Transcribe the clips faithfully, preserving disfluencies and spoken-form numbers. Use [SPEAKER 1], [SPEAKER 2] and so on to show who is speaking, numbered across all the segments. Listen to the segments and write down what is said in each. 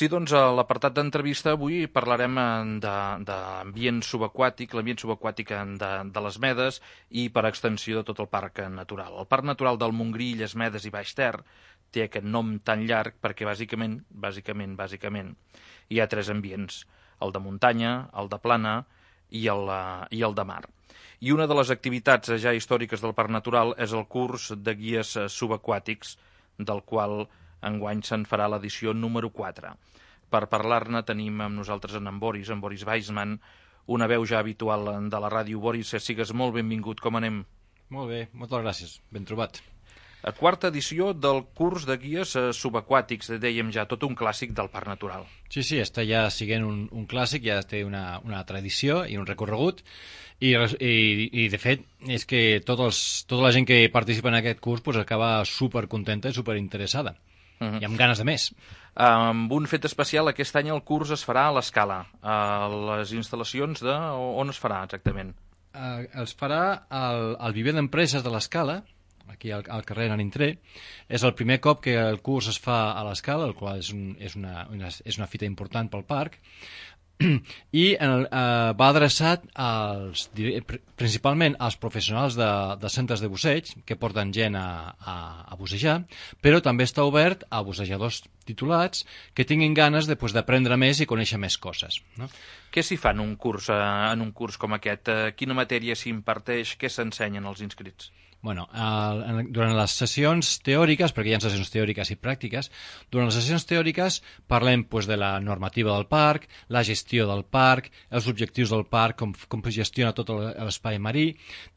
[SPEAKER 1] Sí, doncs a l'apartat d'entrevista avui parlarem d'ambient subaquàtic, l'ambient subaquàtic de, de les Medes i per extensió de tot el parc natural. El Parc Natural del Montgrí, Illes Medes i Baix Ter té aquest nom tan llarg perquè bàsicament, bàsicament, bàsicament hi ha tres ambients, el de muntanya, el de plana i el, i el de mar. I una de les activitats ja històriques del Parc Natural és el curs de guies subaquàtics, del qual enguany se'n farà l'edició número quatre. Per parlar-ne tenim amb nosaltres en, en Boris, en Boris Weissman, una veu ja habitual de la ràdio. Boris, sigues molt benvingut, com anem?
[SPEAKER 2] Molt bé, moltes gràcies, ben trobat.
[SPEAKER 1] A quarta edició del curs de guies subaquàtics, dèiem ja, tot un clàssic del Parc Natural.
[SPEAKER 2] Sí, sí, està ja siguent un, un clàssic, ja té una, una tradició i un recorregut, i, i, i de fet és que tots els, tota la gent que participa en aquest curs pues, acaba supercontenta i superinteressada, uh-huh. i amb ganes de més.
[SPEAKER 1] Amb un fet especial, aquest any el curs es farà a l'Escala, a les instal·lacions de... on es farà exactament?
[SPEAKER 2] Uh, es farà al, al viver d'empreses de l'Escala, aquí al, al carrer Nanintré. És el primer cop que el curs es fa a l'Escala, el qual és, un, és, una, una, és una fita important pel parc, i el, eh, va adreçat als, principalment als professionals de, de centres de busseig que porten gent a, a, a bussejar, però també està obert a bussejadors titulats que tinguin ganes d'aprendre més i conèixer més coses, no?
[SPEAKER 1] Què s'hi fa en un curs, en un curs com aquest? Quina matèria s'imparteix? Què s'ensenyen als inscrits?
[SPEAKER 2] Bueno, eh, durant les sessions teòriques, perquè hi ha sessions teòriques i pràctiques, durant les sessions teòriques parlem pues, de la normativa del parc, la gestió del parc, els objectius del parc, com, com es gestiona tot l'espai marí,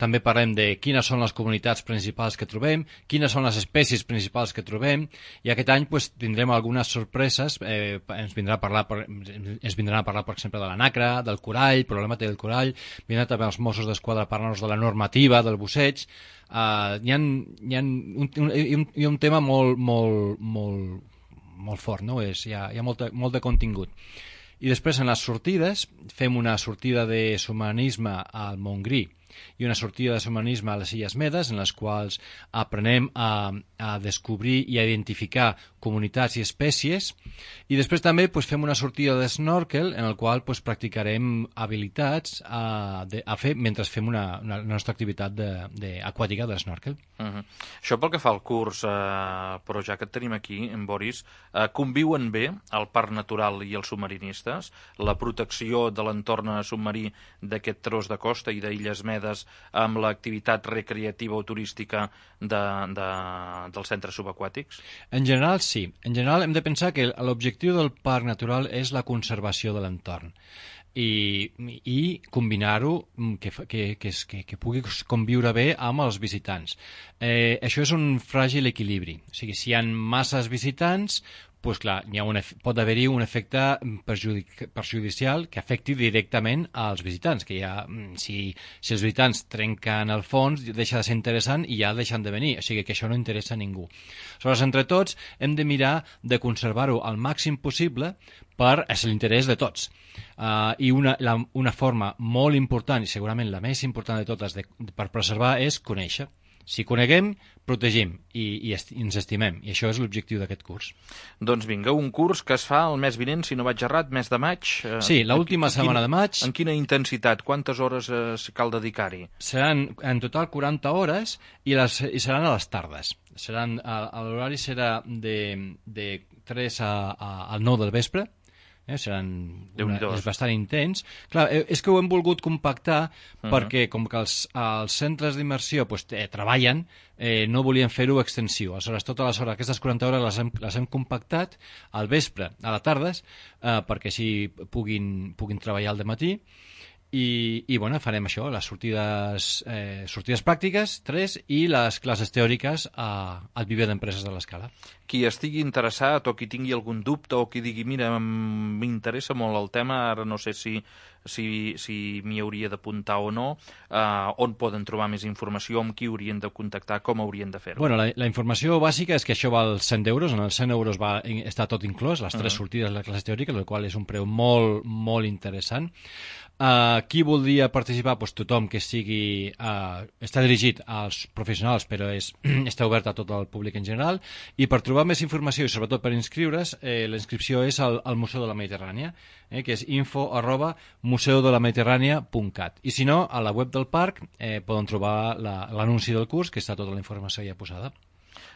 [SPEAKER 2] també parlem de quines són les comunitats principals que trobem, quines són les espècies principals que trobem, i aquest any pues, tindrem algunes sorpreses, eh, ens, vindrà a parlar, per, ens vindran a parlar, per exemple, de la nacra, del corall, problemàtica del corall, vindran també els Mossos d'Esquadra a parlar-nos de la normativa del busseig. Uh, hi ha, hi ha un, un, un, hi ha un tema molt, molt, molt, molt fort, no? És, hi ha, hi ha molta, molt de contingut. I després en les sortides fem una sortida de submarinisme al Montgrí i una sortida de submarinisme a les Illes Medes, en les quals aprenem a, a descobrir i a identificar comunitats i espècies, i després també pues, fem una sortida de snorkel en el qual pues, practicarem habilitats a, de, a fer mentre fem una, una, una nostra activitat de, de, aquàtica de snorkel.
[SPEAKER 1] Uh-huh. Això pel que fa al curs, eh, però ja que et tenim aquí, en Boris, eh, conviuen bé el parc natural i els submarinistes, la protecció de l'entorn submarí d'aquest tros de costa i d'Illes Medes amb l'activitat recreativa o turística de, de, dels centres subaquàtics?
[SPEAKER 2] En general, sí. En general hem de pensar que l'objectiu del parc natural és la conservació de l'entorn i, i combinar-ho que, que, que, que, que pugui conviure bé amb els visitants. Eh, això és un fràgil equilibri. O sigui, si hi ha masses visitants, pues clar, hi ha un, pot haver-hi un efecte perjudic, perjudicial que afecti directament als visitants, que ja, si, si els visitants trenquen el fons, deixa de ser interessant i ja deixen de venir, o sigui que això no interessa a ningú. Aleshores, entre tots, hem de mirar de conservar-ho al màxim possible per és l'interès de tots. Uh, I una, la, una forma molt important, i segurament la més important de totes de, per preservar, és conèixer. Si coneguem, protegim i, i, i ens estimem. I això és l'objectiu d'aquest curs.
[SPEAKER 1] Doncs vinga, un curs que es fa el mes vinent, si no vaig errat, mes de maig. Eh,
[SPEAKER 2] sí, l'última setmana de maig.
[SPEAKER 1] En quina intensitat? Quantes hores eh, cal dedicar-hi?
[SPEAKER 2] Seran en total quaranta hores i, les, i seran a les tardes. Seran, l'horari serà de, de tres a, a, al nou del vespre. Eh, seran una, és bastant intens. Clar, és que ho hem volgut compactar uh-huh. perquè com que els, els centres d'immersió pues, eh, treballen, eh, no volien fer-ho extensiu. Aleshores, totes les hores, aquestes quaranta hores les hem, les hem compactat al vespre, a la tarda, eh, perquè així puguin, puguin treballar al dematí. I, i bueno, farem això, les sortides, eh, sortides pràctiques, tres, i les classes teòriques a, al viver d'empreses de l'Escala.
[SPEAKER 1] Qui estigui interessat o qui tingui algun dubte o qui digui, mira, m'interessa molt el tema, ara no sé si, si, si m'hi hauria d'apuntar o no, eh, on poden trobar més informació, amb qui haurien de contactar, com haurien de fer-ho?
[SPEAKER 2] Bueno, la, la informació bàsica és que això val cent euros, en els cent euros va, està tot inclòs, les tres uh-huh. sortides de la classe teòrica, el qual és un preu molt, molt interessant. Uh, qui voldria participar? Pues tothom que sigui... Uh, està dirigit als professionals, però és, està obert a tot el públic en general, i per trobar trobar més informació i sobretot per inscriure's, eh, la inscripció és al, al Museu de la Mediterrània, eh, que és info arroba museu de la mediterrània punt cat. I si no, a la web del parc eh, poden trobar l'anunci la, del curs, que està tota la informació ja posada.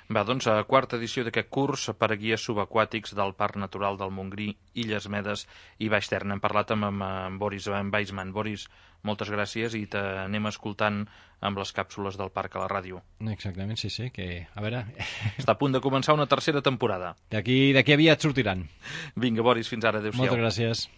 [SPEAKER 1] Va, doncs, a quarta edició d'aquest curs per a guies subaquàtics del Parc Natural del Montgrí, Illes Medes i Baix Ter. Hem parlat amb, amb, amb Boris Weisman. Boris, moltes gràcies i t'anem escoltant amb les càpsules del parc a la ràdio.
[SPEAKER 2] Exactament, sí, sí, que a veure...
[SPEAKER 1] Està a punt de començar una tercera temporada.
[SPEAKER 2] D'aquí d'aquí aviat sortiran.
[SPEAKER 1] Vinga, Boris, fins ara. Adéu-siau.
[SPEAKER 2] Moltes gràcies.